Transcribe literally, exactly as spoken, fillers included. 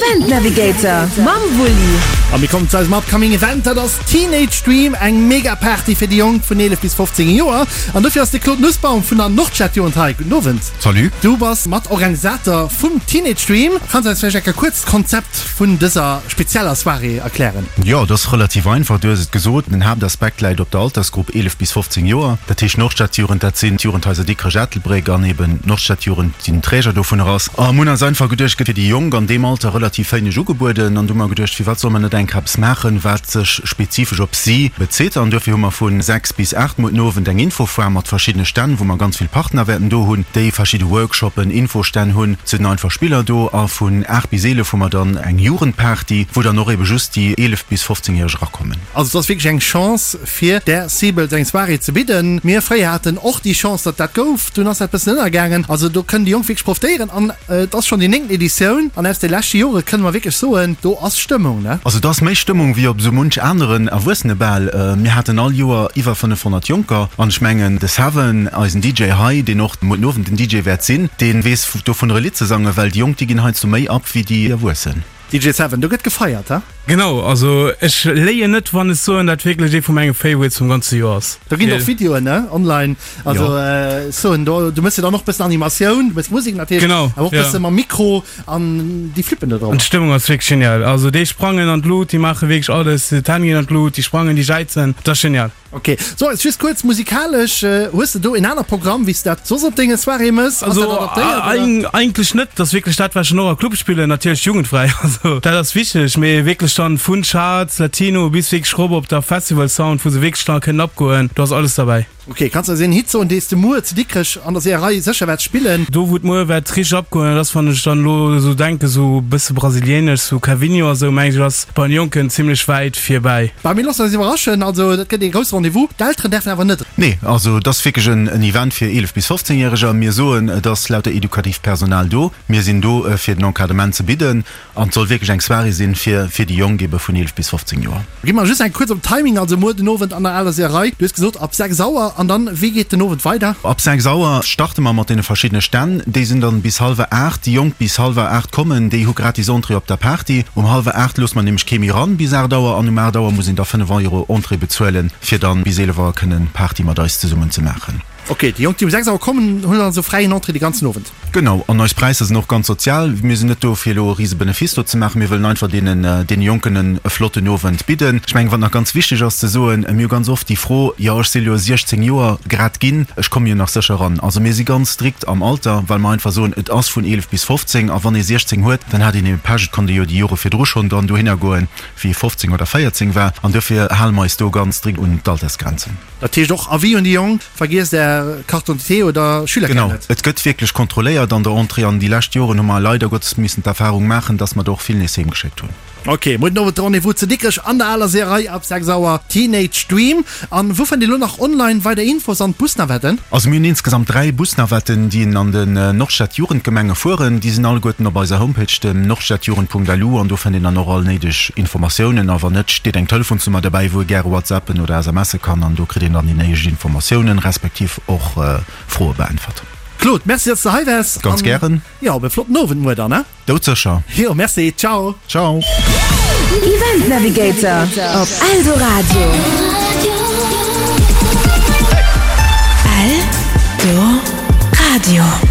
Event Navigator mam Wulli. A mir kommen zu eisem upcoming Event, dat ass Teenage Dream, eng mega Party fir déi Jonk vun eelef bis fofzéng Joer. An dofir ass de Claude Nussbaum vun der Nordstadjugend hei. Gudden Owend. Salut. Du bass Matorganisator vum Teenage Dream. Kanns du eis vläicht eng Kéier kuerz d'Konzept vun dëser spezieller Soirée erklären? Jo, et ass relativ einfach. Du hues et gesot, den Haaptaspekt läit op der Altersgrupp eelef bis fofzéng Joer. Dat heescht Nordstadjugend, dat sinn d'Jugendhaiser Dikrech, Ettelbréck an eben d'Nordstadjugend, déi den Träger dovunner ass. A mir hunn eis einfach geduecht, gëtt fir déi Jonk an deem Alter relativ wéineg ugebueden. An du hu mer geduecht, firwat solle mer net enk eppes maachen, wat sech spezifesch op si bezitt. An duerfir hu mer vu sechs bis aacht muer den Owend eng Infofoire mat verschiddene Stänn, wou mer ganz vill Partner wäerten do hunn, déi verschidde Workshoppen, Infostänn hunn. Et sinn einfach Spiller do. A vun aacht bis eelef hu mer dann eng Jugendparty, wou dann och ebe just déi eelef bis fofzéngjäreg erakommen. Also et ass wierklech eng Chance fir där Cible eng Soirée ze bidden. Mir fréier haten och déi Chance, datt dat gouf. Dunn ass dat bëssen ënnergaangen. Also do kënnen déi Jonk wierklech profitéieren. An et ass schonn déi néngten Editioun an aus de leschte Jore kënne mer wierklech soen, do ass Stëmmung, ne? Also et ass méi Stëmmung wéi op esou munch aneren Erwuessenebal. Mir haten all Joer iwwer fënnefhonnert Jonker an ech mengen de Seven, eisen D J hei, deen och muer den Owend den D J wäert sinn, dee weess dovunner e Lidd ze sangen, well déi Jonk, déi ginn heiansdo méi ab wéi déi Erwuessen. D J Seven, do gëtt gefeiert, he? Genau, also ech léien net wann ech soen dat wierklech ee vu menge Favorites vum ganze Joer ass. Do ginn och Videoen, ne, online, also ech soen do, du mëss jo dann och bëssen Animatioun, du mëss Musek natierlech, Genau, awer och ja. bësse mam Mikro an déi flippen do drop. An d'Stëmmung ass wierklech genial, also déi sprangen an d'Lut, déi maache wierklech alles, d'Hänn ginn an d'Lut, déi sprangen, déi jäizen, dat ass genial. Ok, so eis just kuerz musikalesch, hues de do en aner Programm wéi s de dat soss op denge Soiréeë mëss? Ass dat Also adaptéiert oder? eigentlech net, dat ass wierklech dat wat ech dann och a Club spillen, natierlech jugendfräi, also dat ass wichteg, mee wierklech dann vun Charts, Latino bis wierklech rop op der Festival Sound, wou se wierklech dann kënnen abgoen, do ass alles derbäi. Ok, kanns de eis een Hit soen dees de muer zu Dikrech an der Seeërei sécher wäerts spillen? Do wou et muer wäert richteg abgoen, dat ass wann ech dann elo esou denken, esou bësse brasilianesch, sou Cavinho a sou, mengen ech ass bei den Jonken zimlech wäit virbäi. Bah, mir loossen eis iwwerraschen, also dat gëtt ee grousse Rendez-vous. D'Elteren däerfen awer net. Nee, also et ass wierklech en Event fir eelef bis fofzéng Järeger. Mir soen, et ass lauter edukatiivt Personal do. Mir sinn do fir den Encadrement ze bidden an et soll wierklech eng Soirée sinn fir fir déi Jonk ebe vun eelef bis fofzéng Joer. Gi mer just eng kuerz op den Timing, also muer den Owend an der Aler Seeërei, du hues gesot ab sechs Auer an dann wéi geet den Owend weider? Ab sechs Auer starte mer mat deene verschiddene Stänn. Déi sinn dann bis hallwer aacht. Déi Jonk bis hallwer aacht kommen, déi hu gratis Entrée op der Party. Um hallwer aacht loosse mer nämlech kee méi ran bis aacht Auer an um aacht Auer muss een da fënnef Euro Entrée bezuelen, fir dann bis eelef Auer kënnen Party mat eis zesummen ze maachen. Ok, déi Jonk déi um sechs Auer kommen hunn also fräien Entrée de ganzen Owend. Genau, an eis Präisser sinn och ganz sozial. Mir sinn net do fir elo e rise Benefice do ze maachen. Mir wëllen einfach deenen deene Jonken en e flotten Owend bidden. Ech mengen, wat nach ganz wichteg ass ze soen, mir hu ganz oft déi Fro, jo ech si jo siechzéng Joer grad ginn, ech komme jo nach sécher eran. Also mir si ganz strikt am Alter, well mer einfach soen, et ass vun eelef bis fofzéng a wann ee siechzéng huet, dann hat een ebe Pech, et konnt ee jo déi Jore virdru schonn dann dohinner goen, wéi ee fofzéng oder véierzéng war. An duerfir hale mer eis do ganz strikt un d'Altersgrenzen. Dat heescht och Avis un déi Jonk, vergiesst Är Carte d'identité oder Schülerkaart Genau, net. et gëtt wierklech kontrolléiert an der Entrée an déi lescht Joren hu mer leider Gottes missen d'Erfahrung maachen, dass mer der och vill nees heem geschéckt hunn. Ok, muer den Owend de Rendez-vous zu Dikrech an der aler Seeërei ab sechs Auer, Teenage Dream. An wou fënnt een elo nach online weider Infos an d'Busnavetten? Also mir hunn insgesamt dräi Busnavetten, déi an den Nordstad-Jugendgemenge fueren. Déi sinn alleguerten op eiser Homepage, dem nordstadjugend Punkt L U, an do fënnt een dann och all néideg Informatiounen. A wann net, steet eng Telefonsnummer derbäi, wou ee gäre WhatsAppen oder S M Sse kann, an do kritt een dann déi néideg Informatiounen, respektiv och Froe beäntwert. Claude, merci, dass de hei waars. Ganz An gären. jo, op e flotten Owend muer dann, ne? Doudsécher. Jo, merci, ciao. Ciao. Event Navigator op Eldoradio. Eldoradio.